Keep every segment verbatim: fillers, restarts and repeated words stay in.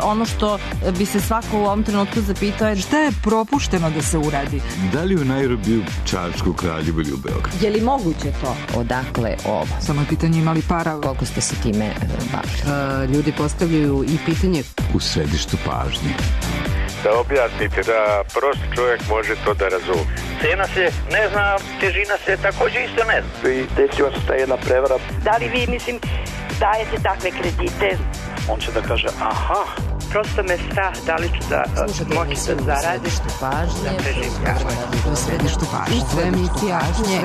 ono što bi se svako u ovom trenutku zapitao je šta je propušteno da se uradi? Da li u Nairobiju, Čačku, Kraljevu ili u Beogradu? Je li moguće to? Odakle ovo? Samo je pitanje imali para. Koliko ste se time bavili? Ljudi postavljaju i pitanje u središtu pažnje. Da objasnite da prost čovjek može to da razumije. Cena se ne zna, težina se također isto ne zna. I desila se ta jedna prevara. Da li vi, mislim, dajete takve kredite? On će da kaže, aha. Prosto me strah da li ću da moći da zaradim. Središtu pažnje. U središtu pažnje. U središtu pažnje.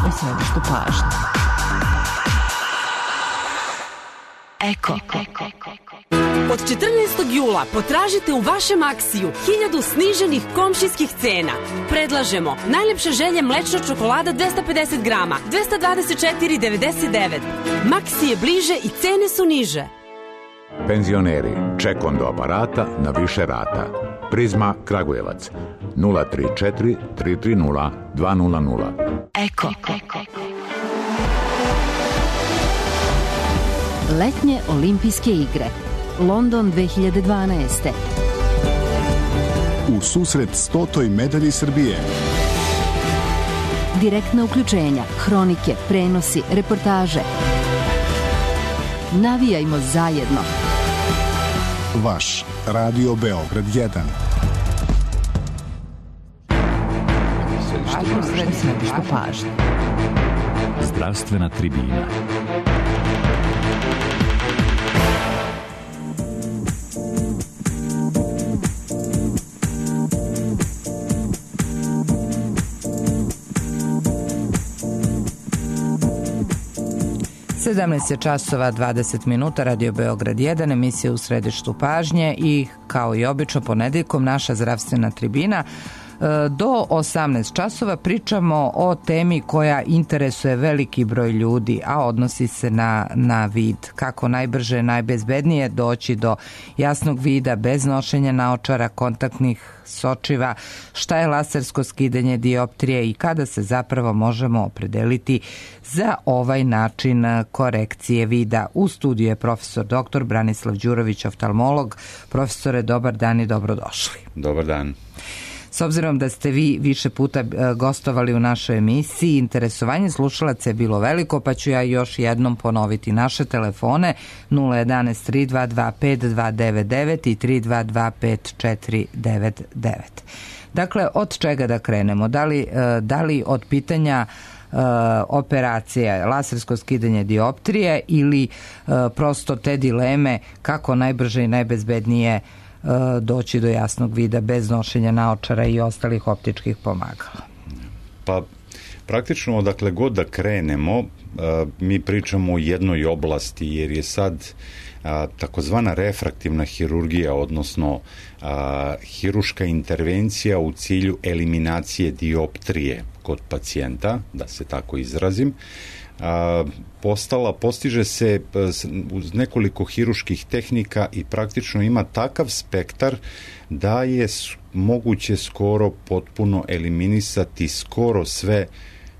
U središtu pažnje. Eko. Od četrnaestog jula potražite u vašem Aksiju hiljadu sniženih komšijskih cena. Predlažemo najlepše želje mlečna čokolada dvesta pedeset grama, dvesta dvadeset četiri devedeset devet. Maksi je bliže i cene su niže. Penzioneri, ček do aparata na više rata. Prizma Kragujevac nula tri četiri tri tri nula dva nula nula. Eko. Letnje olimpijske igre London dve hiljade dvanaeste. U susret stotoj medalji Srbije. Direktna uključenja, hronike, prenosi, reportaže. Navijajmo zajedno. Vaš Radio Beograd jedan. Središtu pažnje. Zdravstvena tribina. sedamnaest časova dvadeset minuta, Radio Beograd jedan, emisija u središtu pažnje i kao i obično ponedeljkom naša zdravstvena tribina. Do osamnaest časova pričamo o temi koja interesuje veliki broj ljudi, a odnosi se na, na vid. Kako najbrže, najbezbednije doći do jasnog vida bez nošenja naočara, kontaktnih sočiva, šta je lasersko skidanje dioptrije i kada se zapravo možemo opredeliti za ovaj način korekcije vida. U studiju je profesor doktor Branislav Đurović, oftalmolog. Profesore, dobar dan i dobrodošli. Dobar dan. S obzirom da ste vi više puta gostovali u našoj emisiji, interesovanje slušalaca je bilo veliko, pa ću ja još jednom ponoviti naše telefone nula jedanaest tri dva dva pet dva devet devet i tri dva dva pet četiri devet devet. Dakle, od čega da krenemo? Da li, da li od pitanja Uh, operacija, lasersko skidanje dioptrije ili uh, prosto te dileme kako najbrže i najbezbednije uh, doći do jasnog vida bez nošenja naočara i ostalih optičkih pomagala? Pa praktično odakle god da krenemo, uh, mi pričamo o jednoj oblasti jer je sad a, takozvana refraktivna hirurgija, odnosno a, hiruška intervencija u cilju eliminacije dioptrije kod pacijenta, da se tako izrazim, a, postala, postiže se uz nekoliko hiruških tehnika i praktično ima takav spektar da je moguće skoro potpuno eliminisati skoro sve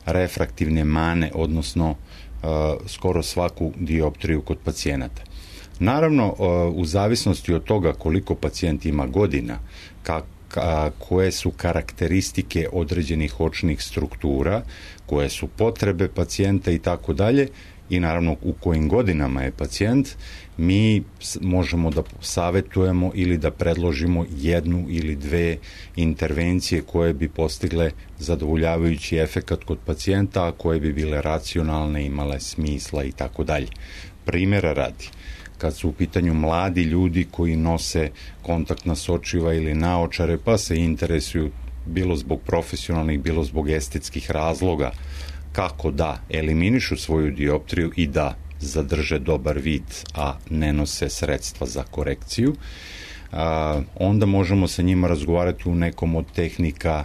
refraktivne mane, odnosno a, skoro svaku dioptriju kod pacijenata. Naravno, u zavisnosti od toga koliko pacijent ima godina, ka, ka, koje su karakteristike određenih očnih struktura, koje su potrebe pacijenta i tako dalje, i naravno u kojim godinama je pacijent, mi možemo da savjetujemo ili da predložimo jednu ili dve intervencije koje bi postigle zadovoljavajući efekat kod pacijenta, a koje bi bile racionalne, imale smisla i tako dalje. Primjera radi, kad su u pitanju mladi ljudi koji nose kontaktna sočiva ili naočare, pa se interesuju bilo zbog profesionalnih, bilo zbog estetskih razloga, kako da eliminišu svoju dioptriju i da zadrže dobar vid, a ne nose sredstva za korekciju, a, onda možemo sa njima razgovarati u nekom od tehnika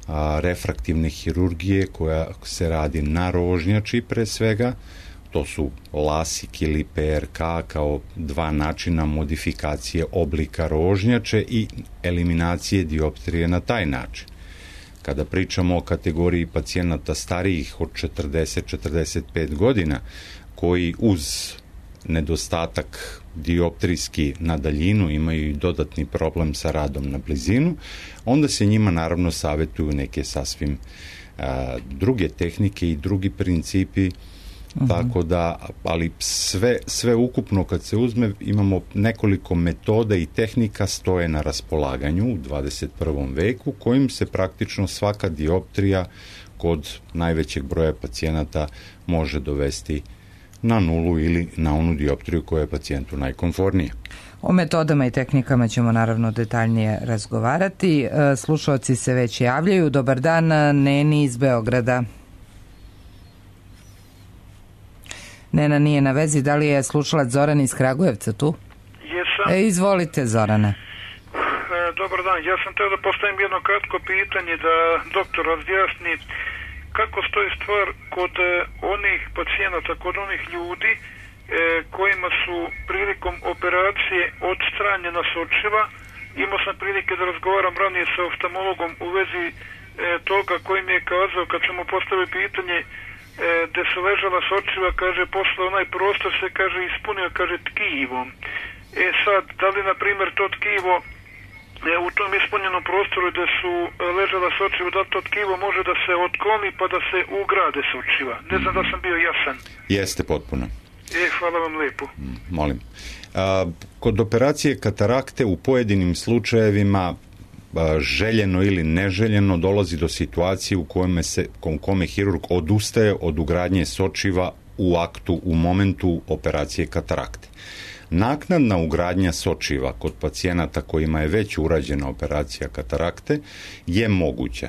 a, refraktivne hirurgije koja se radi na rožnjači pre svega. To su lasik ili P R K kao dva načina modifikacije oblika rožnjače i eliminacije dioptrije na taj način. Kada pričamo o kategoriji pacijenata starijih od četrdeset do četrdeset pet godina, koji uz nedostatak dioptrijski na daljinu, imaju i dodatni problem sa radom na blizinu, onda se njima naravno savjetuju neke sasvim a, druge tehnike i drugi principi. Uh-huh. Tako da, ali sve, sve ukupno kad se uzme, imamo nekoliko metoda i tehnika stoje na raspolaganju u dvadeset prvom veku, kojim se praktično svaka dioptrija kod najvećeg broja pacijenata može dovesti na nulu ili na onu dioptriju koja je pacijentu najkomfornija. O metodama i tehnikama ćemo naravno detaljnije razgovarati. Slušalci se već javljaju. Dobar dan, Neni iz Beograda. Nena nije na vezi. Da li je slušalac Zoran iz Kragujevca tu? Jesam. E, izvolite, Zorane. E, dobar dan. Ja sam teo da postavim jedno kratko pitanje da doktor razjasni kako stoji stvar kod e, onih pacijenata, kod onih ljudi e, kojima su prilikom operacije odstranjena sočiva. Imao sam prilike da razgovaram ranije sa oftalmologom u vezi e, toga koji mi je kazao kad sam mu postavio pitanje gde su ležala sočiva, kaže, posle onaj prostor se, kaže, ispunio, kaže, tkivom. E sad, da li, na primjer, to tkivo e, u tom ispunjenom prostoru gde su ležala sočiva, da to tkivo može da se otkloni pa da se ugrade sočiva? Ne znam da sam bio jasan. Jeste potpuno. E, hvala vam lijepo. Molim. A, kod operacije katarakte u pojedinim slučajevima željeno ili neželjeno dolazi do situacije u kome se, u kome hirurg odustaje od ugradnje sočiva u aktu, u momentu operacije katarakte. Naknadna ugradnja sočiva kod pacijenata kojima je već urađena operacija katarakte je moguća.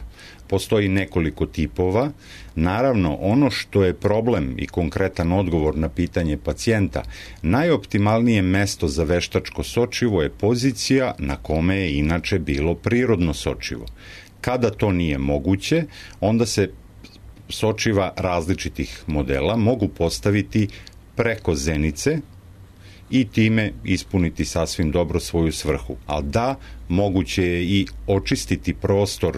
Postoji nekoliko tipova. Naravno, ono što je problem i konkretan odgovor na pitanje pacijenta, najoptimalnije mesto za veštačko sočivo je pozicija na kome je inače bilo prirodno sočivo. Kada to nije moguće, onda se sočiva različitih modela mogu postaviti preko zenice i time ispuniti sasvim dobro svoju svrhu. Ali da, moguće je i očistiti prostor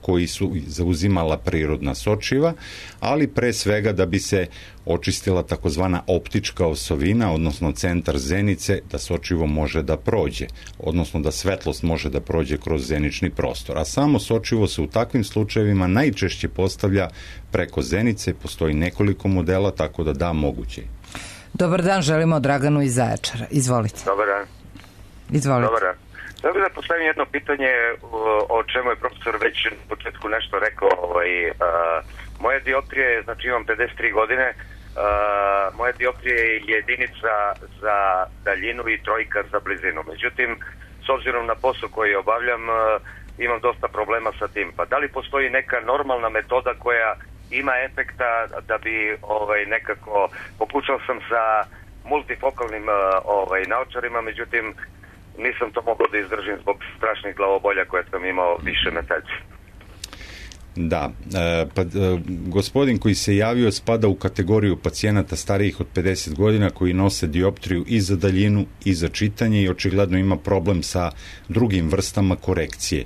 koji su zauzimala prirodna sočiva, ali pre svega da bi se očistila takozvana optička osovina, odnosno centar zenice, da sočivo može da prođe, odnosno da svetlost može da prođe kroz zenični prostor. A samo sočivo se u takvim slučajevima najčešće postavlja preko zenice, postoji nekoliko modela, tako da da, moguće. Dobar dan, želimo Draganu iz Zaječara. Izvolite. Dobar dan. Izvolite. Dobar dan. Sada bih da postavim jedno pitanje o čemu je profesor već na početku nešto rekao. Ovaj, uh, moje dioptrije, znači imam pedeset tri godine, uh, moje dioptrije je jedinica za daljinu i trojka za blizinu. Međutim, s obzirom na posao koji obavljam, uh, imam dosta problema sa tim. Pa da li postoji neka normalna metoda koja ima efekta da bi ovaj, nekako, pokušao sam sa multifokalnim uh, ovaj, naočarima, međutim, nisam to mogao da izdržim zbog strašnih glavobolja koje sam imao više meseci. Da, e, pa, e, gospodin koji se javio spada u kategoriju pacijenata starijih od pedeset godina koji nose dioptriju i za daljinu i za čitanje i očigledno ima problem sa drugim vrstama korekcije.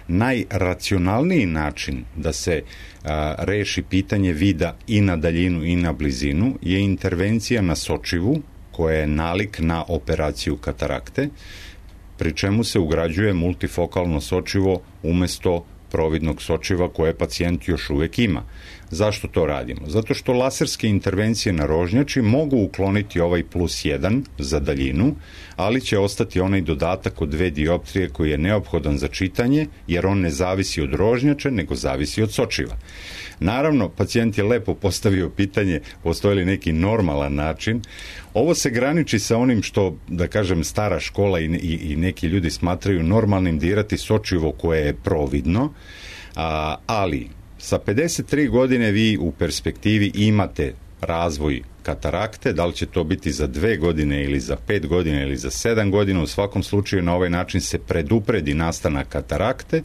Najracionalniji način da se a, reši pitanje vida i na daljinu i na blizinu je intervencija na sočivu koja je nalik na operaciju katarakte, pri čemu se ugrađuje multifokalno sočivo umesto providnog sočiva koje pacijent još uvek ima. Zašto to radimo? Zato što laserske intervencije na rožnjači mogu ukloniti ovaj plus jedan za daljinu, ali će ostati onaj dodatak od dve dioptrije koji je neophodan za čitanje, jer on ne zavisi od rožnjača, nego zavisi od sočiva. Naravno, pacijent je lepo postavio pitanje, postoji li neki normalan način. Ovo se graniči sa onim što, da kažem, stara škola i, i, i neki ljudi smatraju normalnim dirati sočivo koje je providno, a, ali sa pedeset tri godine vi u perspektivi imate razvoj katarakte, da li će to biti za dve godine ili za pet godina ili za sedam godina, u svakom slučaju na ovaj način se predupredi nastanak katarakte,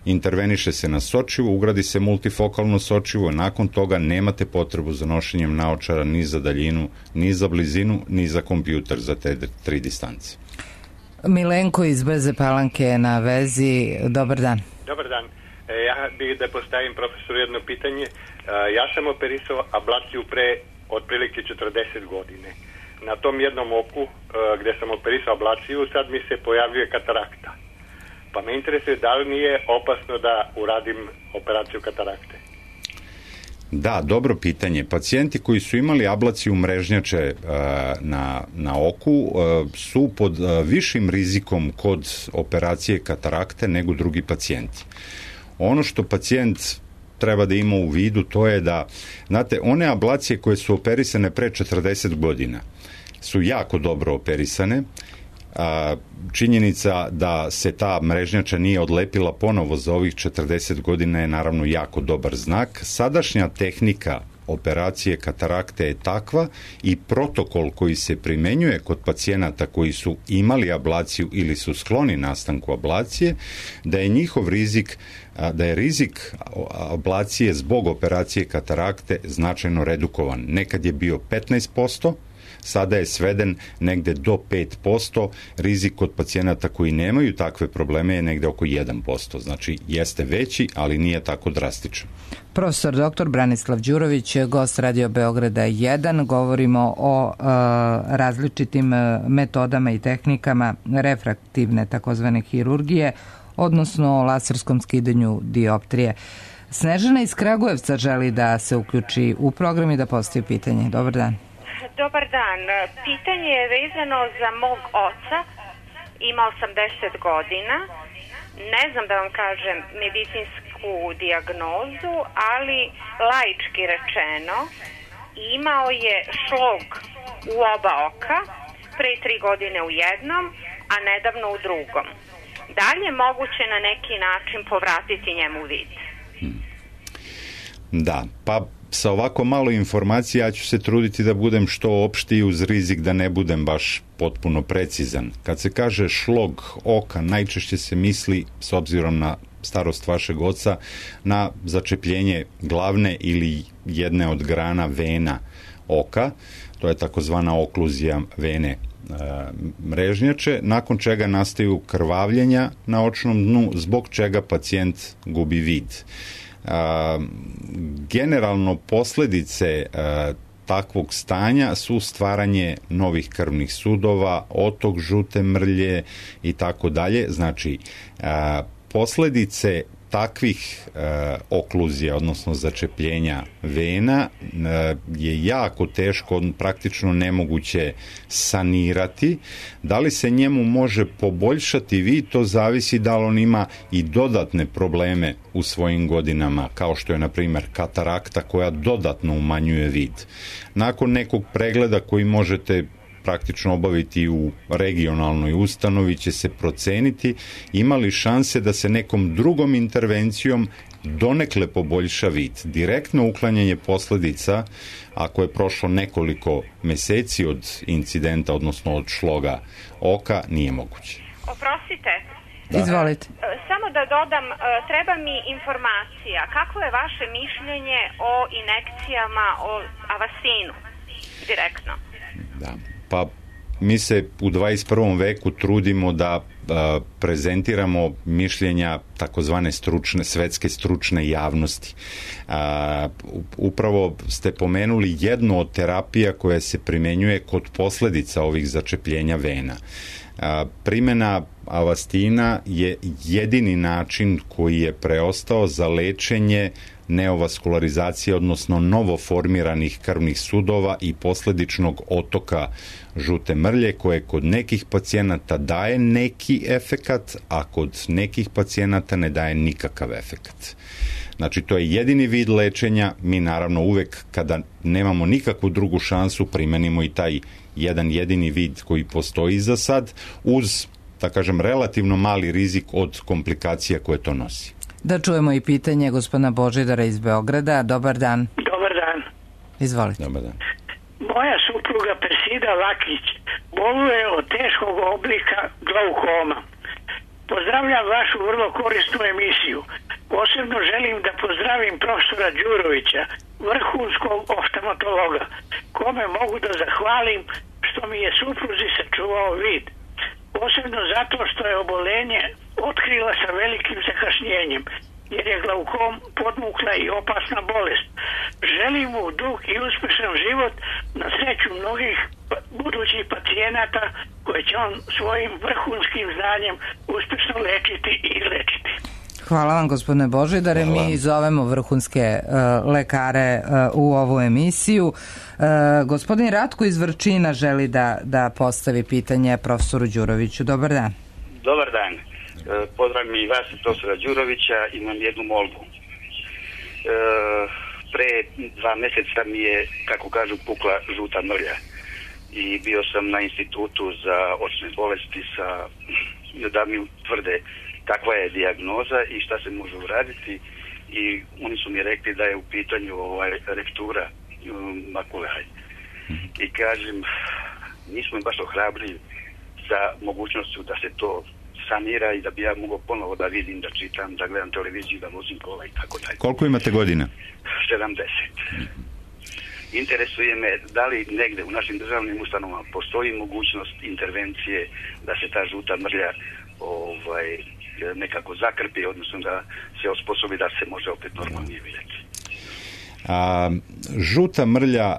interveniše se na sočivo, ugradi se multifokalno sočivo, nakon toga nemate potrebu za nošenjem naočara ni za daljinu, ni za blizinu, ni za kompjuter za te tri distance. Milenko iz Brze Palanke je na vezi. Dobar dan. Dobar dan. Ja bih da postavim profesoru jedno pitanje. Ja sam operisao ablaciju pre otprilike četrdeset godine. na tom jednom oku gdje sam operisao ablaciju, sad mi se pojavljuje katarakta. Pa me interesuje da li nije opasno da uradim operaciju katarakte. Da, dobro pitanje. Pacijenti koji su imali ablaciju mrežnjače uh, na, na oku uh, su pod uh, višim rizikom kod operacije katarakte nego drugi pacijenti. Ono što pacijent treba da ima u vidu, to je da, znate, one ablacije koje su operisane pre četrdeset godina su jako dobro operisane. A, činjenica da se ta mrežnjača nije odlepila ponovo za ovih četrdeset godina je naravno jako dobar znak. Sadašnja tehnika operacije katarakte je takva i protokol koji se primenjuje kod pacijenata koji su imali ablaciju ili su skloni nastanku ablacije, da je njihov rizik, da je rizik ablacije zbog operacije katarakte značajno redukovan. Nekad je bio petnaest posto, sada je sveden negde do pet posto, rizik kod pacijenata koji nemaju takve probleme je negde oko jedan posto. Znači, jeste veći, ali nije tako drastičan. Profesor doktor Branislav Đurović, gost Radio Beograda jedan. Govorimo o uh, različitim uh, metodama i tehnikama refraktivne takozvane hirurgije, odnosno o laserskom skidanju dioptrije. Snežana iz Kragujevca želi da se uključi u program i da postavi pitanje. Dobar dan. Dobar dan. Pitanje je vezano za mog oca. Ima osamdeset godina. Ne znam da vam kažem medicinsku dijagnozu, ali laički rečeno imao je šlog u oba oka, pre tri godine u jednom, a nedavno u drugom. Da li je moguće na neki način povratiti njemu vid? Da, pa sa ovako malo informacija ja ću se truditi da budem što opštiji uz rizik da ne budem baš potpuno precizan. Kad se kaže šlog oka, najčešće se misli, s obzirom na starost vašeg oca, na začepljenje glavne ili jedne od grana vena oka, to je takozvana okluzija vene e, mrežnjače, nakon čega nastaju krvavljenja na očnom dnu, zbog čega pacijent gubi vid. A, generalno posljedice a, takvog stanja su stvaranje novih krvnih sudova, otok žute mrlje i tako dalje. Znači, a, posljedice takvih e, okluzija, odnosno začepljenja vena e, je jako teško, praktično nemoguće sanirati. Da li se njemu može poboljšati vid, to zavisi da li on ima i dodatne probleme u svojim godinama, kao što je na primjer katarakta koja dodatno umanjuje vid. Nakon nekog pregleda koji možete praktično obaviti u regionalnoj ustanovi će se proceniti ima li šanse da se nekom drugom intervencijom donekle poboljša vid. Direktno uklanjanje posljedica, ako je prošlo nekoliko meseci od incidenta, odnosno od šloga oka, nije moguće. Oprostite. Da. Izvolite. Samo da dodam, treba mi informacija. Kako je vaše mišljenje o injekcijama, o avasinu? Direktno. Da. Pa mi se u dvadeset prvom veku trudimo da a, prezentiramo mišljenja takozvane stručne, svetske stručne javnosti. A, upravo ste pomenuli jednu od terapija koja se primenjuje kod posljedica ovih začepljenja vena. A, primjena avastina je jedini način koji je preostao za lečenje neovaskularizacije, odnosno novoformiranih krvnih sudova i posljedičnog otoka žute mrlje, koje kod nekih pacijenata daje neki efekat, a kod nekih pacijenata ne daje nikakav efekat. Znači, to je jedini vid lečenja. Mi naravno uvek, kada nemamo nikakvu drugu šansu, primenimo i taj jedan jedini vid koji postoji za sad, uz, da kažem, relativno mali rizik od komplikacija koje to nosi. Da čujemo i pitanje gospodina Božidara iz Beograda. Dobar dan. Dobar dan. Izvolite. Dobar dan. Moja supruga Persida Lakić boluje od teškog oblika glaukoma. Pozdravljam vašu vrlo korisnu emisiju. Posebno želim da pozdravim profesora Đurovića, vrhunskog oftalmatologa, kome mogu da zahvalim što mi je supruzi sačuvao vid. Posebno zato što je obolenje otkrila sa velikim zakašnjenjem, jer je glaukom podmukla i opasna bolest. Želim mu dug i uspešan život na sreću mnogih pacijenata koje će on svojim vrhunskim znanjem uspješno lečiti i lečiti. Hvala vam, gospodine Božidare. Mi zovemo vrhunske uh, lekare uh, u ovu emisiju. Uh, gospodin Ratko iz Vrčina želi da, da postavi pitanje profesoru Đuroviću. Dobar dan. Dobar dan. E, pozdravim i vas i profesora Đurovića. Imam jednu molbu. E, pre dva mjeseca mi je, kako kažu, pukla žuta mrlja. I bio sam na institutu za očne bolesti sa, da mi tvrde kakva je dijagnoza i šta se može uraditi. I oni su mi rekli da je u pitanju ovaj, rektura makule. I kažem, nismo baš ohrabri za mogućnošću da se to sanira i da bi ja mogao ponovo da vidim, da čitam, da gledam televiziju, da vozim kola i tako dalje. Koliko imate godina? sedamdeset. Interesuje me da li negde u našim državnim ustanovama postoji mogućnost intervencije da se ta žuta mrlja ovaj, nekako zakrpi, odnosno da se osposobi da se može opet normalnije vidjeti. A, žuta mrlja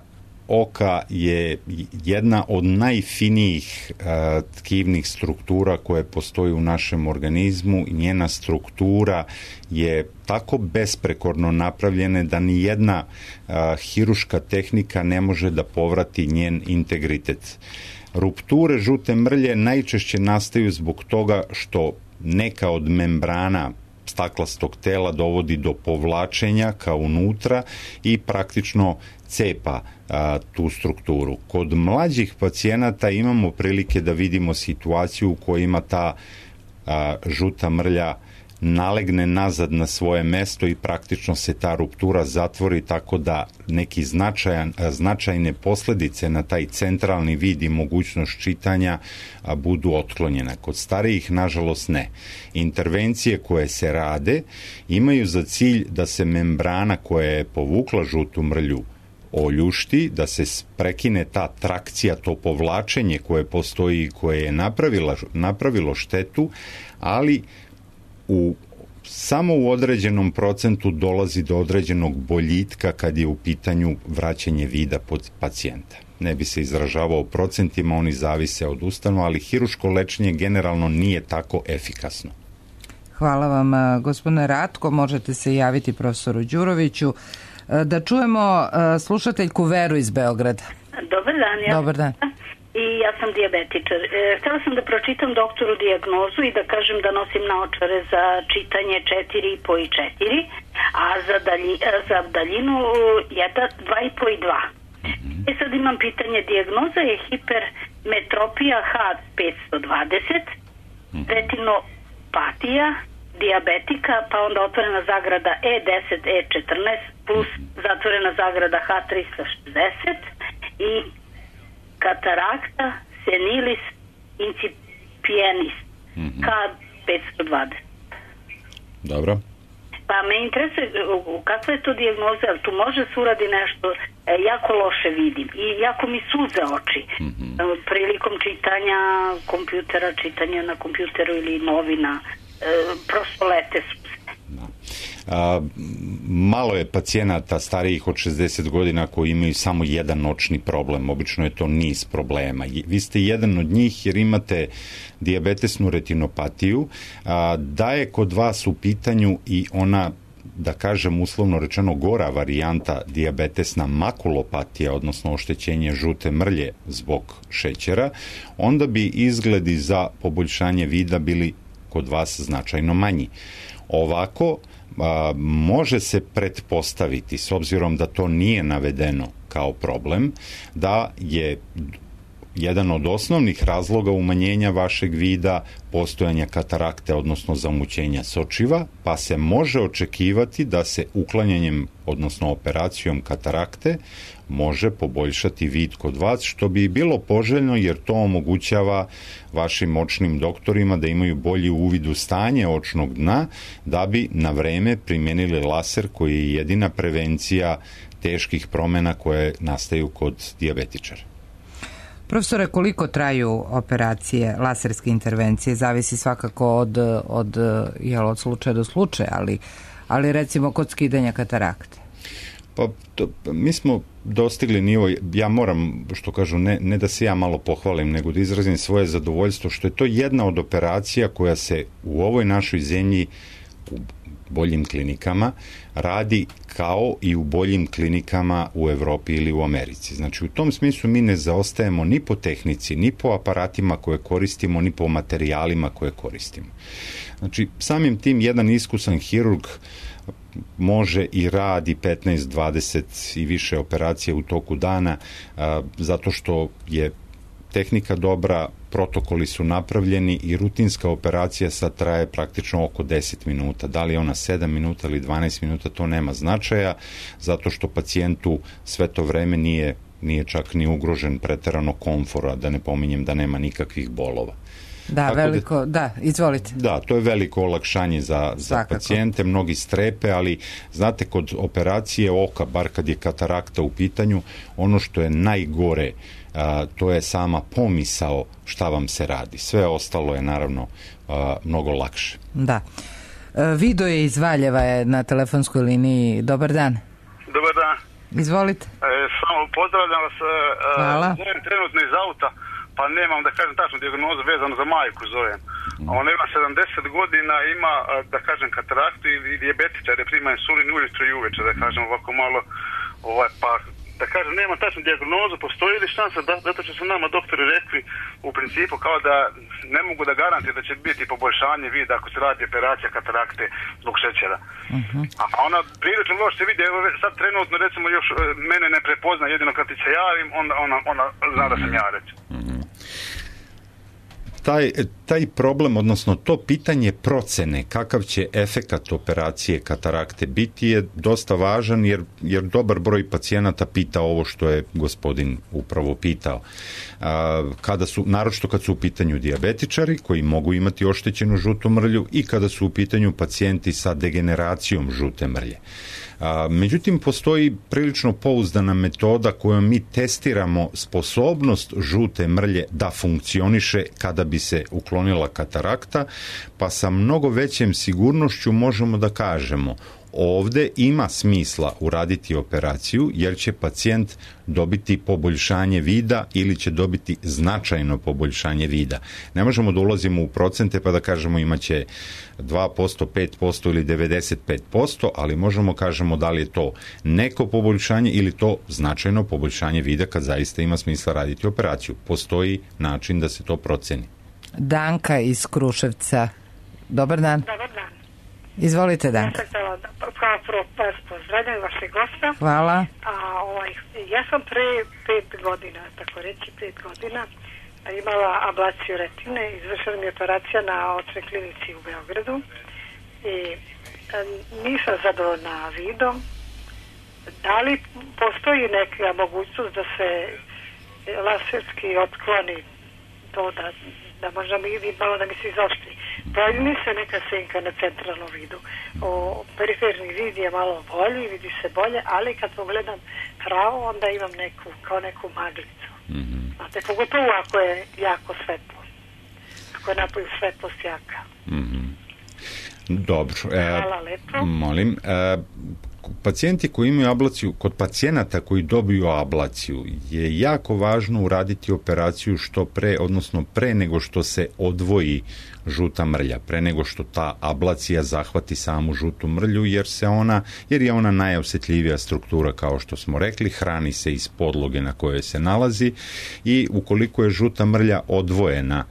oka je jedna od najfinijih a, tkivnih struktura koje postoji u našem organizmu i njena struktura je tako besprekorno napravljena da ni jedna a, hiruška tehnika ne može da povrati njen integritet. Rupture žute mrlje najčešće nastaju zbog toga što neka od membrana staklastog tela dovodi do povlačenja ka unutra i praktično cepa a, tu strukturu. Kod mlađih pacijenata imamo prilike da vidimo situaciju u kojima ta a, žuta mrlja nalegne nazad na svoje mesto i praktično se ta ruptura zatvori, tako da neki značajan, značajne posljedice na taj centralni vid i mogućnost čitanja a, budu otklonjene. Kod starijih, nažalost, ne. Intervencije koje se rade imaju za cilj da se membrana koja je povukla žutu mrlju oljušti, da se prekine ta trakcija, to povlačenje koje postoji i koje je napravila, napravilo štetu, ali u samo u određenom procentu dolazi do određenog boljitka kad je u pitanju vraćanje vida pod pacijenta. Ne bi se izražavao procentima, oni zavise od ustanova, ali hiruško lečenje generalno nije tako efikasno. Hvala vam, gospodine Ratko. Možete se javiti profesoru Đuroviću. Da čujemo slušateljku Veru iz Beograda. Dobar dan. Ja. Dobar dan. I ja sam dijabetičar. E, htjela sam da pročitam doktoru dijagnozu i da kažem da nosim naočare za čitanje četiri i po i četiri, a za, dalji, za daljinu jedan, dva i po i dva. E sad imam pitanje, dijagnoza je hipermetropija H petsto dvadeset, retinopatija, dijabetika, pa onda otvorena zagrada E deset E četrnaest plus zatvorena zagrada H tristo šezdeset i katarakta senilis incipientis K petsto dvadeset. Dobro. Pa me interesuje kakva je to dijagnoza, tu može se uradi nešto, e, jako loše vidim i jako mi suze oči mm-hmm. prilikom čitanja kompjutera, čitanja na kompjuteru ili novina, e, prosto lete suze. A, malo je pacijenata starijih od šezdeset godina koji imaju samo jedan očni problem, obično je to niz problema. Vi ste jedan od njih jer imate dijabetesnu retinopatiju, a, da je kod vas u pitanju i ona, da kažem uslovno rečeno, gora varijanta dijabetesna makulopatija, odnosno oštećenje žute mrlje zbog šećera, onda bi izgledi za poboljšanje vida bili kod vas značajno manji. Ovako, a, može se pretpostaviti, s obzirom da to nije navedeno kao problem, da je jedan od osnovnih razloga umanjenja vašeg vida postojanja katarakte, odnosno zamućenja sočiva, pa se može očekivati da se uklanjanjem, odnosno operacijom katarakte, može poboljšati vid kod vas, što bi bilo poželjno jer to omogućava vašim očnim doktorima da imaju bolji uvid u stanje očnog dna, da bi na vreme primijenili laser koji je jedina prevencija teških promjena koje nastaju kod dijabetičara. Profesore, koliko traju operacije, laserske intervencije? Zavisi svakako od, od, jel, od slučaja do slučaja, ali, ali recimo kod skidanja katarakte. Pa to, mi smo dostigli nivo, ja moram, što kažu, ne, ne da se ja malo pohvalim, nego da izrazim svoje zadovoljstvo, što je to jedna od operacija koja se u ovoj našoj zemlji u boljim klinikama radi kao i u boljim klinikama u Evropi ili u Americi. Znači, u tom smislu mi ne zaostajemo ni po tehnici, ni po aparatima koje koristimo, ni po materijalima koje koristimo. Znači, samim tim jedan iskusan hirurg može i radi petnaest, dvadeset i više operacija u toku dana, a, zato što je tehnika dobra, protokoli su napravljeni i rutinska operacija sad traje praktično oko deset minuta. Da li je ona sedam minuta ili dvanaest minuta, to nema značaja, zato što pacijentu sve to vreme nije, nije čak ni ugrožen preterano komfora, da ne pominjem da nema nikakvih bolova. Da, tako veliko, da, da, izvolite. Da, to je veliko olakšanje za, za pacijente, mnogi strepe, ali znate, kod operacije oka, bar kad je katarakta u pitanju, ono što je najgore, a, to je sama pomisao šta vam se radi. Sve ostalo je naravno a, mnogo lakše. Da. E, Vido je iz Valjeva je na telefonskoj liniji. Dobar dan. Dobar dan. Izvolite. E, samo pozdravljam vas. Hvala. Zovem trenutno iz auta, pa nemam, da kažem, tačnu dijagnozu vezano za majku zovem. Ona ima sedamdeset godina, ima, da kažem, kataraktu i dijabetičar, je prima insulin ujutro i uveče, da kažem, ovako malo, ovaj, pa, da kažem, nema tačnu dijagnozu, postoji li šansa, da, zato će su nama doktori rekli, u principu, kao da ne mogu da garantuju da će biti poboljšanje vida ako se radi operacija katarakte zbog šećera. Uh-huh. A ona prilično loš se vidi, evo sad trenutno, recimo, još mene ne prepozna, jedino kad ti se javim, onda ona, ona zna da sam ja, recimo. Uh-huh. Taj, taj problem, odnosno to pitanje procene kakav će efekat operacije katarakte biti je dosta važan, jer, jer dobar broj pacijenata pita ovo što je gospodin upravo pitao. A, kada su, naročito kad su u pitanju dijabetičari koji mogu imati oštećenu žutu mrlju i kada su u pitanju pacijenti sa degeneracijom žute mrlje. A, međutim, postoji prilično pouzdana metoda kojom mi testiramo sposobnost žute mrlje da funkcioniše kada bi se uklonila katarakta, pa sa mnogo većem sigurnošću možemo da kažemo ovde ima smisla uraditi operaciju jer će pacijent dobiti poboljšanje vida ili će dobiti značajno poboljšanje vida. Ne možemo da ulazimo u procente pa da kažemo imaće dva posto, pet posto ili devedeset pet posto, ali možemo kažemo da li je to neko poboljšanje ili to značajno poboljšanje vida kad zaista ima smisla raditi operaciju. Postoji način da se to proceni. Danka iz Kruševca. Dobar dan. Dobar dan. Izvolite, Danka. Ja sam htjela da kao prvo vas pozdravljam vašeg gosta. Hvala. A, ovaj, ja sam pre pet godina, tako reći pet godina, imala ablaciju retine, izvršena mi je operacija na očnoj klinici u Beogradu i e, nisam zadovoljna vidom. Da li postoji neka mogućnost da se laserski otkloni to da, da možda mi vidi malo da mi se izoštri? Bolji mi se neka senka na centralnom vidu. O, periferni vid je malo bolji, vidi se bolje, ali kad pogledam pravo, onda imam neku, kao neku maglicu. Mm-hmm. Znate, pogotovo ako je jako svetlo. Ako je napolju svetlost jaka. Mm-hmm. Dobro. E, Hvala lepo. Molim. E, pacijenti koji imaju ablaciju, kod pacijenata koji dobiju ablaciju je jako važno uraditi operaciju što pre, odnosno pre nego što se odvoji žuta mrlja, pre nego što ta ablacija zahvati samu žutu mrlju, jer se ona, jer je ona najosjetljivija struktura, kao što smo rekli, hrani se iz podloge na kojoj se nalazi i ukoliko je žuta mrlja odvojena,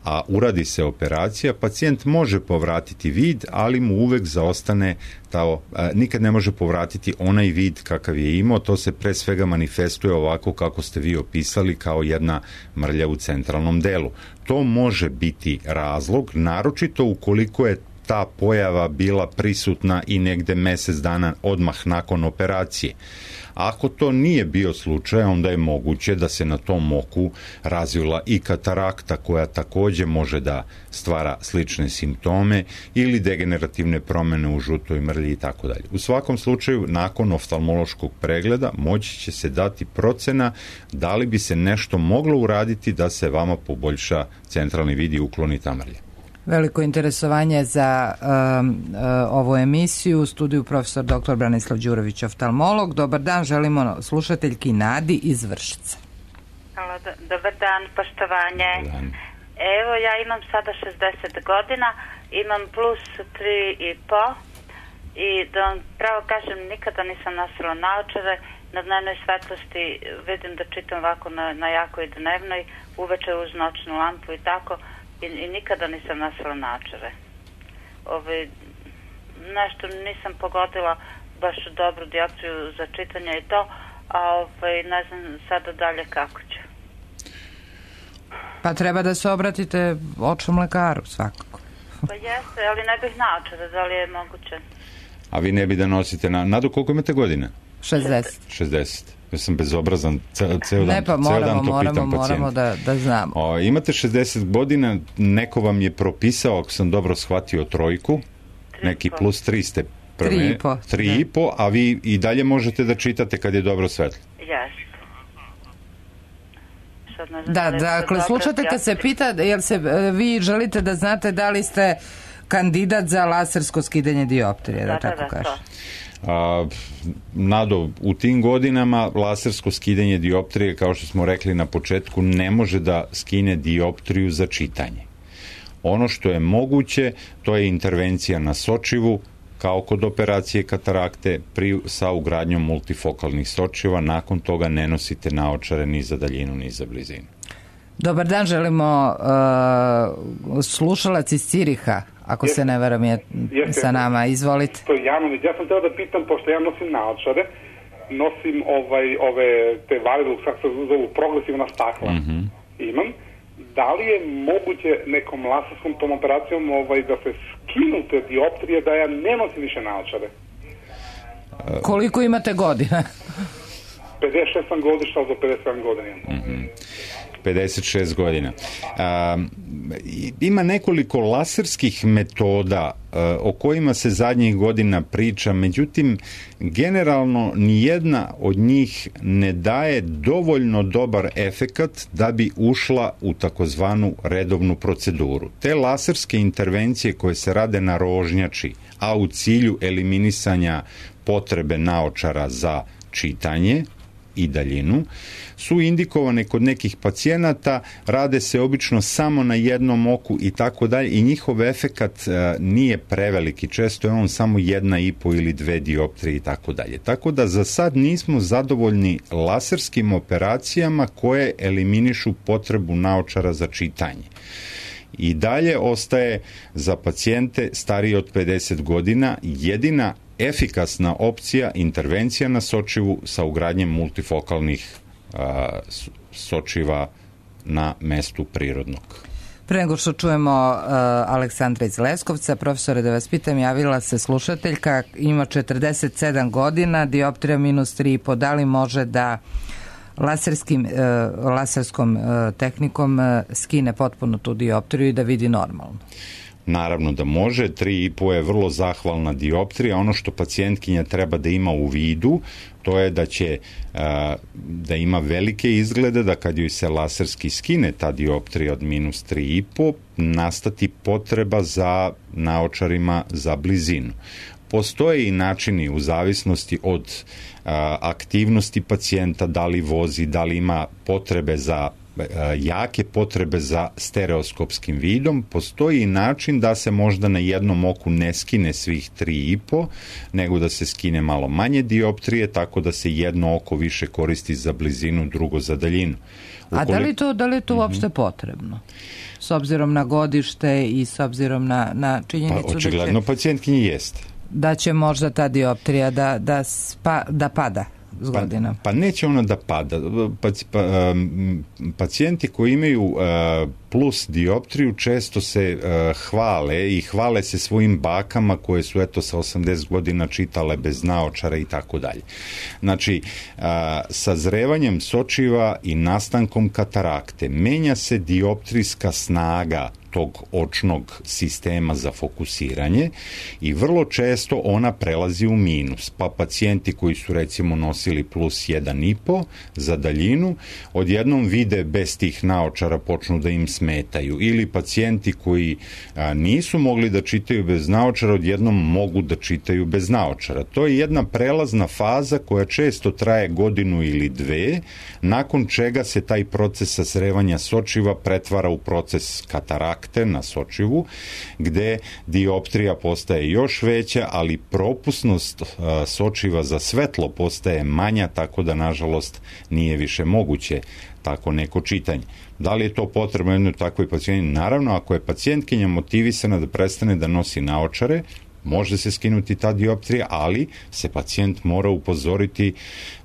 a uradi se operacija, pacijent može povratiti vid, ali mu uvek zaostane tao, a, nikad ne može povratiti onaj vid kakav je imao, to se pre svega manifestuje ovako kako ste vi opisali, kao jedna mrlja u centralnom delu. To može biti razlog, naročito ukoliko je ta pojava bila prisutna i negde mesec dana odmah nakon operacije. Ako to nije bio slučaj, onda je moguće da se na tom oku razvila i katarakta koja takođe može da stvara slične simptome ili degenerativne promene u žutoj mrlji i tako dalje. U svakom slučaju, nakon oftalmološkog pregleda moći će se dati procena da li bi se nešto moglo uraditi da se vama poboljša centralni vid i ukloni ta mrlja. Veliko interesovanje za um, uh, ovu emisiju. U studiju profesor doktor Branislav Đurović, oftalmolog. Dobar dan, želimo slušateljki Nadi iz Vršca. Halo, do, dobar dan, poštovanje. Dobar dan. Evo, ja imam sada šezdeset godina, imam plus tri i po i da vam pravo kažem, nikada nisam nosila naočare. Na dnevnoj svetlosti vidim da čitam ovako na, na jakoj dnevnoj, uveče uz noćnu lampu i tako. I, i nikada nisam nosila naočare. Ove, nešto nisam pogodila baš dobru dioptriju za čitanje i to, a ove, ne znam sada dalje kako ću. Pa treba da se obratite očnom lekaru svakako. Pa jeste, ali ne bih naočare, da li je moguće? A vi ne bi da nosite na... Nadu, koliko imate godina? šezdeset. šezdeset. Ja sam bezobrazan, ceo, ceo dan, ne, pa moramo, ceo dan to moramo, pitam moramo da, da znamo. O, imate šezdeset godina, neko vam je propisao, ako sam dobro shvatio, trojku, neki plus tri ste prve. Tri i po. Tri i po, a vi i dalje možete da čitate kad je dobro svetlo. Jeste. Da, dakle, slušate kad se pita, jel se vi želite da znate da li ste kandidat za lasersko skidanje dioptrije, da, da tako da, kaže. A, Nado, u tim godinama lasersko skidanje dioptrije, kao što smo rekli na početku, ne može da skine dioptriju za čitanje. Ono što je moguće, to je intervencija na sočivu, kao kod operacije katarakte, pri, sa ugradnjom multifokalnih sočiva. Nakon toga ne nosite naočare ni za daljinu, ni za blizinu. Dobar dan, želimo uh, slušalac iz Ciriha, ako Jeste. se ne varam je Jeste. sa nama. Izvolite. To je Janović. Ja sam teo da pitam, pošto ja nosim naočare, nosim ovaj, ove te validu, kako se zovu, progresivna stakla. Mm-hmm. Imam. Da li je moguće nekom laserskom tom operacijom ovaj, da se skinu te dioptrije, da ja ne nosim više naočare? Koliko imate godina? pedeset šest sam godišta, za pedeset sedam godina. Mm-hmm. pedeset šest godina. A, ima nekoliko laserskih metoda a, o kojima se zadnjih godina priča, međutim, generalno nijedna od njih ne daje dovoljno dobar efekat da bi ušla u takozvanu redovnu proceduru. Te laserske intervencije koje se rade na rožnjači, a u cilju eliminisanja potrebe naočara za čitanje i daljinu, su indikovane kod nekih pacijenata, rade se obično samo na jednom oku i tako dalje i njihov efekat e, nije preveliki, često je on samo jedna i po ili dve dioptrije i tako dalje. Tako da za sad nismo zadovoljni laserskim operacijama koje eliminišu potrebu naočara za čitanje. I dalje ostaje za pacijente starije od pedeset godina jedina efikasna opcija intervencija na sočivu sa ugradnjem multifokalnih a, sočiva na mestu prirodnog. Pre nego što čujemo uh, Aleksandra iz Leskovca, profesore, da vas pitam, javila se slušateljka, ima četrdeset sedam godina, dioptrija minus tri i po, da li može da laserskim, uh, laserskom uh, tehnikom uh, skine potpuno tu dioptriju i da vidi normalno? Naravno da može, tri i po je vrlo zahvalna dioptrija. Ono što pacijentkinja treba da ima u vidu, to je da će da ima velike izglede, da kad joj se laserski skine ta dioptrija od minus tri i po, nastati potreba za naočarima za blizinu. Postoje i načini u zavisnosti od a, aktivnosti pacijenta, da li vozi, da li ima potrebe za jake potrebe za stereoskopskim vidom, postoji i način da se možda na jednom oku ne skine svih tri i po, nego da se skine malo manje dioptrije, tako da se jedno oko više koristi za blizinu, drugo za daljinu. Ukoliko... A da li to, da li je to mm-hmm. uopšte potrebno? S obzirom na godište i s obzirom na, na činjenicu pa, očigledno da će... pacijentkinji jeste. Da će možda ta dioptrija da, da, spa, da pada. Pa, pa neće ona da pada. Pa, pa, pacijenti koji imaju uh, plus dioptriju često se uh, hvale i hvale se svojim bakama koje su eto sa osamdeset godina čitale bez naočara i tako dalje. Znači, uh, sazrevanjem sočiva i nastankom katarakte menja se dioptrijska snaga tog očnog sistema za fokusiranje i vrlo često ona prelazi u minus. Pa pacijenti koji su recimo nosili plus jedan i po za daljinu, odjednom vide bez tih naočara počnu da im smetaju. Ili pacijenti koji a, nisu mogli da čitaju bez naočara, odjednom mogu da čitaju bez naočara. To je jedna prelazna faza koja često traje godinu ili dve, nakon čega se taj proces sazrevanja sočiva pretvara u proces katarakte na sočivu, gde dioptrija postaje još veća, ali propusnost a, sočiva za svetlo postaje manja, tako da nažalost nije više moguće tako neko čitanje. Da li je to potrebno jednoj takvoj pacijenti? Naravno, ako je pacijentkinja motivisana da prestane da nosi naočare, može se skinuti ta dioptrija, ali se pacijent mora upozoriti,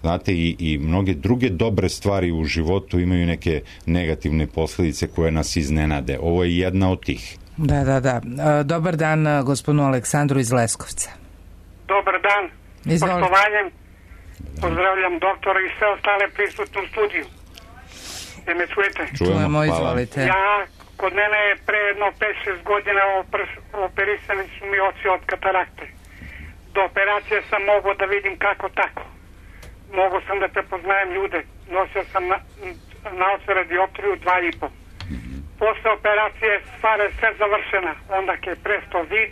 znate, i, i mnoge druge dobre stvari u životu imaju neke negativne posljedice koje nas iznenade. Ovo je jedna od tih. Da, da, da. Dobar dan gospodinu Aleksandru iz Leskovca. Dobar dan. Izvolite. Poštovanjem. Pozdravljam doktora i sve ostale prisutne u studiju. Je me čujete? Čujemo, izvolite. Ja, kod mene je pre jedno pet šest godina operisani su mi oči od katarakte. Do operacije sam mogao da vidim kako tako. Mogao sam da prepoznajem ljude. Nosio sam na, naočare dioptriju dva i po. Posle operacije stvar je sve završena. Onda je presto vid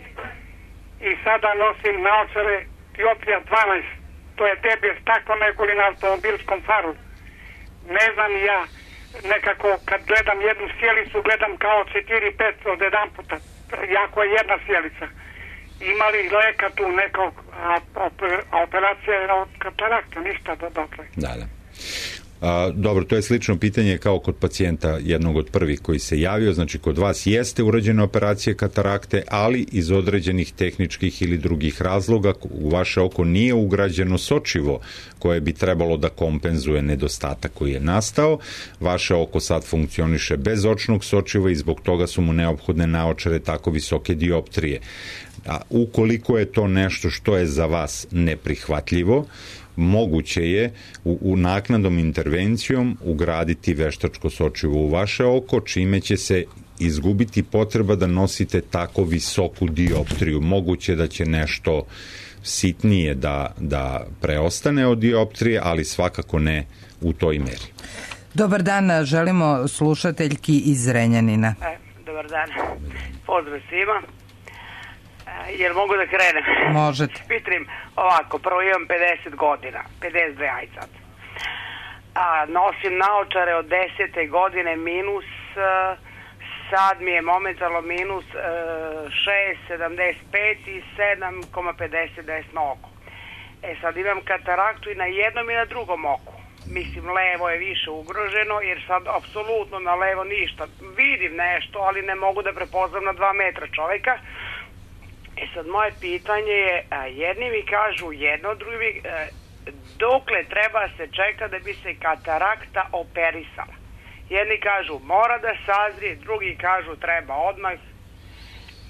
i sada nosim naočare dioptrija dvanaest. To je deblje staklo nego li na automobilskom faru. Ne znam ja, nekako kad gledam jednu sjelicu gledam kao četiri pet od jedan puta, jako je jedna sjelica. Ima li leka tu nekog, a, a operacija je od katarakta, ništa do dotle. Da, da. A, dobro, to je slično pitanje kao kod pacijenta jednog od prvih koji se javio, znači kod vas jeste urađena operacija katarakte, ali iz određenih tehničkih ili drugih razloga u vaše oko nije ugrađeno sočivo koje bi trebalo da kompenzuje nedostatak koji je nastao. Vaše oko sad funkcioniše bez očnog sočiva i zbog toga su mu neophodne naočare tako visoke dioptrije. A ukoliko je to nešto što je za vas neprihvatljivo, moguće je u, u naknadnom intervencijom ugraditi veštačko sočivo u vaše oko, čime će se izgubiti potreba da nosite tako visoku dioptriju. Moguće da će nešto sitnije da, da preostane od dioptrije, ali svakako ne u toj meri. Dobar dan, želimo slušateljki iz Zrenjanina. E, dobar dan. Pozdrav svima. Jel mogu da krenem? Možete. Pitrim ovako, prvo imam pedeset godina, pedeset dve aj sad. A, nosim naočare od desete godine minus, sad mi je momentalno minus šest sedamdeset pet i sedam zarez pedeset desno oko. E sad imam kataraktu i na jednom i na drugom oku. Mislim, levo je više ugroženo, jer sad apsolutno na levo ništa. Vidim nešto, ali ne mogu da prepoznam na dva metra čoveka. E sad, moje pitanje je, a, jedni mi kažu jedno, drugi mi, a, dokle treba se čeka da bi se katarakta operisala? Jedni kažu mora da sazrije, drugi kažu treba odmah.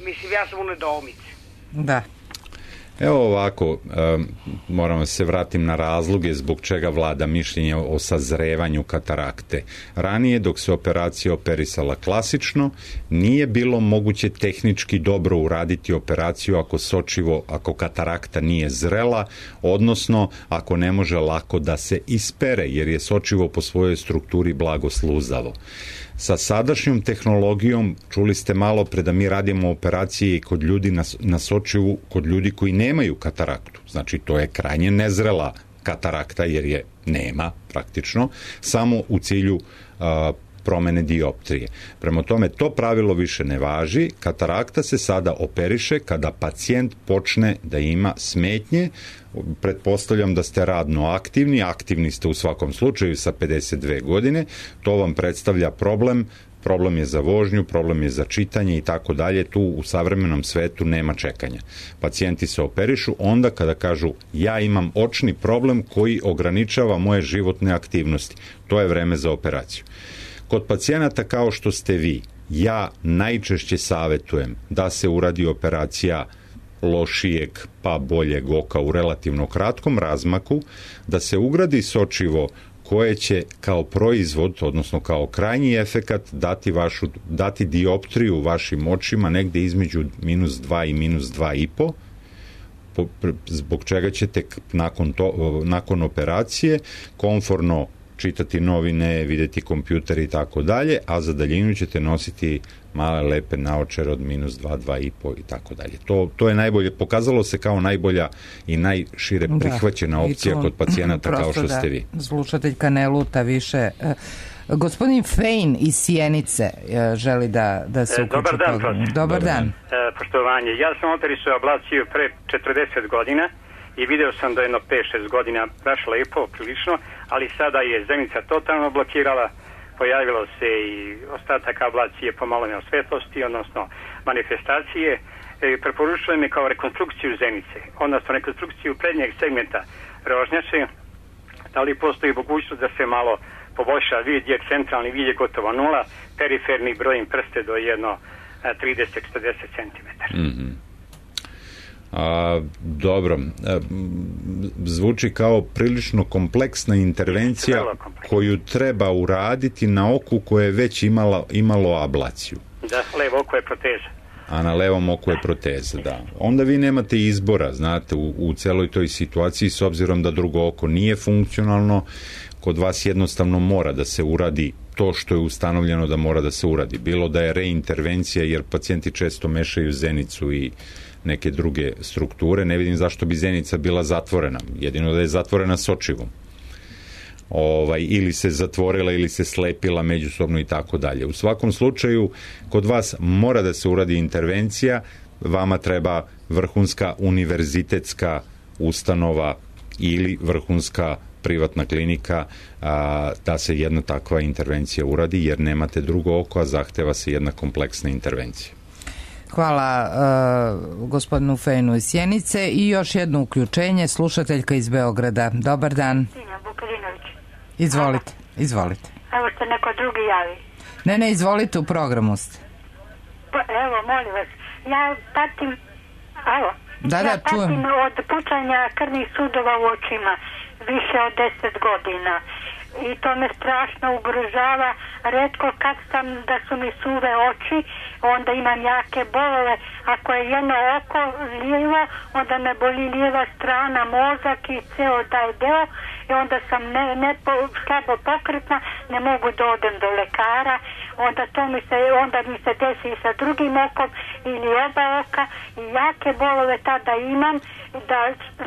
Mislim, ja sam u nedoumici. Da. Evo ovako, um, moram se vratim na razloge zbog čega vlada mišljenje o sazrevanju katarakte. Ranije, dok se operacija operisala klasično, nije bilo moguće tehnički dobro uraditi operaciju ako sočivo, ako katarakta nije zrela, odnosno ako ne može lako da se ispere, jer je sočivo po svojoj strukturi blago sluzavo. Sa sadašnjom tehnologijom, čuli ste malo pre da mi radimo operacije kod ljudi na, na sočivu, kod ljudi koji nemaju kataraktu. Znači, to je krajnje nezrela katarakta, jer je nema praktično, samo u cilju a, promene dioptrije. Prema tome, to pravilo više ne važi. Katarakta se sada operiše kada pacijent počne da ima smetnje. Pretpostavljam da ste radno aktivni, aktivni ste u svakom slučaju sa pedeset dve godine, to vam predstavlja problem, problem je za vožnju, problem je za čitanje i tako dalje, tu u savremenom svetu nema čekanja. Pacijenti se operišu onda kada kažu ja imam očni problem koji ograničava moje životne aktivnosti, to je vreme za operaciju. Kod pacijenata kao što ste vi, ja najčešće savjetujem da se uradi operacija lošijeg pa boljeg oka u relativno kratkom razmaku, da se ugradi sočivo koje će kao proizvod, odnosno kao krajnji efekat dati, vašu, dati dioptriju vašim očima negde između minus dva i minus dva i po, zbog čega ćete nakon, to, nakon operacije komforno čitati novine, videti kompjuter i tako dalje, a za daljinu ćete nositi male lepe naočare od minus dva, dva i po i tako dalje. To, to je najbolje, pokazalo se kao najbolja i najšire prihvaćena da, opcija to, kod pacijenata kao što da ste vi. Slušateljka ne luta više. Gospodin Fejn iz Sjenice želi da, da se uključi. Dobar dan, prof. Dobar dan. E, poštovanje. Ja sam operisao ablaciju pre četrdeset godina i video sam da je jedno pet šest godina baš lepo, prilično, ali sada je zenica totalno blokirala, pojavilo se i ostatak ablacije pomalanja svetlosti, odnosno manifestacije. E, preporučujem me kao rekonstrukciju zenice, odnosno rekonstrukciju prednjeg segmenta rožnjače. Da li postoji mogućnost da se malo poboljša vid, jer centralni vid je gotovo nula, periferni brojim prste do jedno trideset do četrdeset centimetara. Mm-hmm. A, dobro, a, zvuči kao prilično kompleksna intervencija koju treba uraditi na oku koje je već imala, imalo ablaciju. Da, levo oko je proteza. A na levom oku je proteza, da. Onda vi nemate izbora, znate, u, u celoj toj situaciji, s obzirom da drugo oko nije funkcionalno, kod vas jednostavno mora da se uradi to što je ustanovljeno da mora da se uradi. Bilo da je reintervencija, jer pacijenti često mešaju zenicu i neke druge strukture, ne vidim zašto bi zenica bila zatvorena, jedino da je zatvorena sočivom. Ovaj, ili se zatvorila ili se slepila međusobno i tako dalje. U svakom slučaju, kod vas mora da se uradi intervencija, vama treba vrhunska univerzitetska ustanova ili vrhunska privatna klinika a, da se jedna takva intervencija uradi, jer nemate drugo oko, a zahteva se jedna kompleksna intervencija. Hvala uh, gospodinu Fejnu iz Sjenice i još jedno uključenje, slušateljka iz Beograda. Dobar dan. Izvolite, izvolite. Evo ste neko drugi javi. Ne, ne, izvolite, u programu ste. Pa, evo, molim vas, ja patim, evo, da, ja da, patim čujem. od pucanja krvnih sudova u očima više od deset godina. I to me strašno ugrožava. Retko kad sam da su mi suve oči, onda imam jake bolove. Ako je jedno oko lijevo, onda me boli lijeva strana, mozak i ceo taj deo. I onda sam ne, ne po, slabo pokretna, ne mogu da odem do lekara. Onda to mi se, onda mi se desi i sa drugim okom ili oba oka. I jake bolove tada imam. Da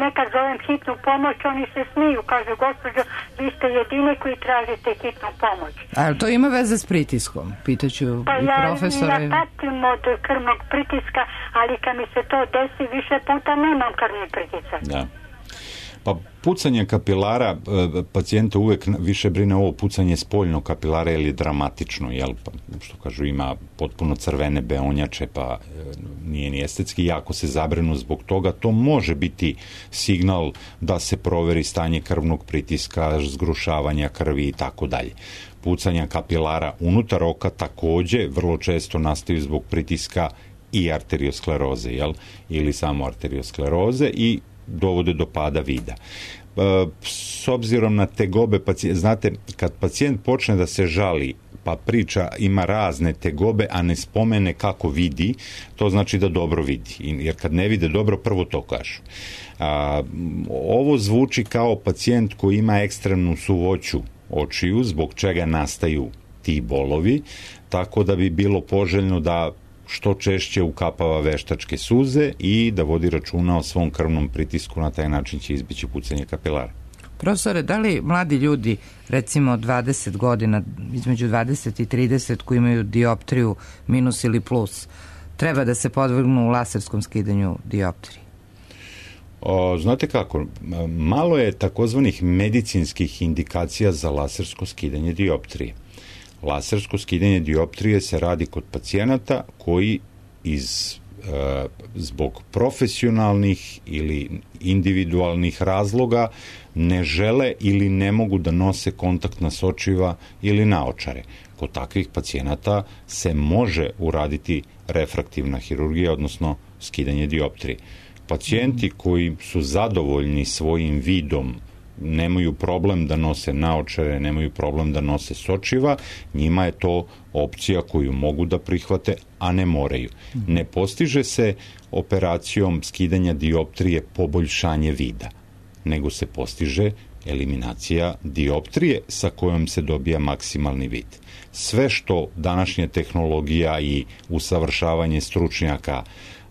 nekad zovem hitnu pomoć, oni se smiju, kažu, gospođo, vi ste jedini koji tražite hitnu pomoć. A to ima veze s pritiskom? Pitaću pa i ja, profesora. Pa ja patim od krvnog pritiska, ali kad mi se to desi više puta nemam krvni pritisak. Da. Pa pucanje kapilara, pacijenta uvek više brine ovo pucanje spoljnog kapilara, jer je dramatično, jel, pa, što kažu, ima potpuno crvene beonjače, pa nije ni estetski, jako se zabrinu zbog toga, to može biti signal da se proveri stanje krvnog pritiska, zgrušavanja krvi i tako dalje. Pucanja kapilara unutar oka takođe vrlo često nastaju zbog pritiska i arterioskleroze, jel, ili samo arterioskleroze i dovode do pada vida. S obzirom na tegobe pacijenta, znate, kad pacijent počne da se žali, pa priča, ima razne tegobe, a ne spomene kako vidi, to znači da dobro vidi. Jer kad ne vide dobro, prvo to kažu. A, ovo zvuči kao pacijent koji ima ekstremnu suvoću očiju, zbog čega nastaju ti bolovi, tako da bi bilo poželjno da što češće ukapava veštačke suze i da vodi računa o svom krvnom pritisku, na taj način će izbeći pucanje kapilara. Profesore, da li mladi ljudi, recimo dvadeset godina, između dvadeset i trideset, koji imaju dioptriju minus ili plus, treba da se podvrgnu laserskom skidanju dioptrije? O, znate kako, malo je takozvanih medicinskih indikacija za lasersko skidanje dioptrije. Lasersko skidanje dioptrije se radi kod pacijenata koji iz e, zbog profesionalnih ili individualnih razloga ne žele ili ne mogu da nose kontaktna sočiva ili naočare. Kod takvih pacijenata se može uraditi refraktivna hirurgija, odnosno skidanje dioptrije. Pacijenti koji su zadovoljni svojim vidom nemaju problem da nose naočare, nemaju problem da nose sočiva, njima je to opcija koju mogu da prihvate, a ne moraju. Ne postiže se operacijom skidanja dioptrije poboljšanje vida, nego se postiže eliminacija dioptrije sa kojom se dobija maksimalni vid. Sve što današnja tehnologija i usavršavanje stručnjaka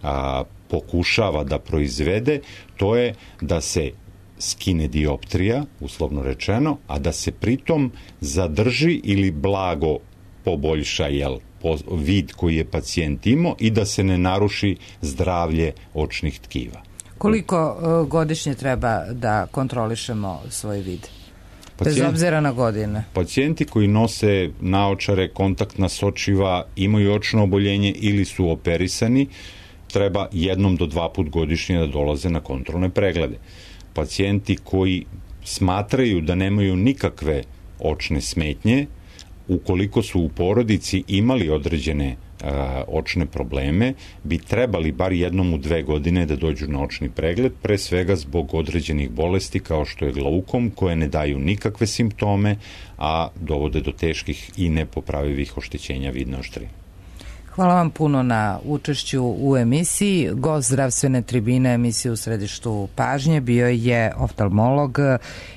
a, pokušava da proizvede, to je da se skine dioptrija, uslovno rečeno, a da se pritom zadrži ili blago poboljša jel, po, vid koji je pacijent imao i da se ne naruši zdravlje očnih tkiva. Koliko uh, godišnje treba da kontrolišemo svoj vid? Pacijent, bez obzira na godine. Pacijenti koji nose naočare, kontaktna sočiva, imaju očno oboljenje ili su operisani, treba jednom do dva put godišnje da dolaze na kontrolne preglede. Pacijenti koji smatraju da nemaju nikakve očne smetnje, ukoliko su u porodici imali određene a, očne probleme, bi trebali bar jednom u dve godine da dođu na očni pregled, pre svega zbog određenih bolesti kao što je glaukom, koje ne daju nikakve simptome, a dovode do teških i nepopravivih oštećenja vidne oštrine. Hvala vam puno na učešću u emisiji. Gost zdravstvene tribine emisije U središtu pažnje bio je oftalmolog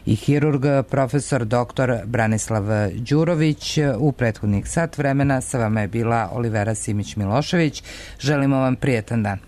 i hirurg profesor doktor Branislav Đurović. U prethodnih sat vremena sa vama je bila Olivera Simić-Milošević. Želimo vam prijetan dan.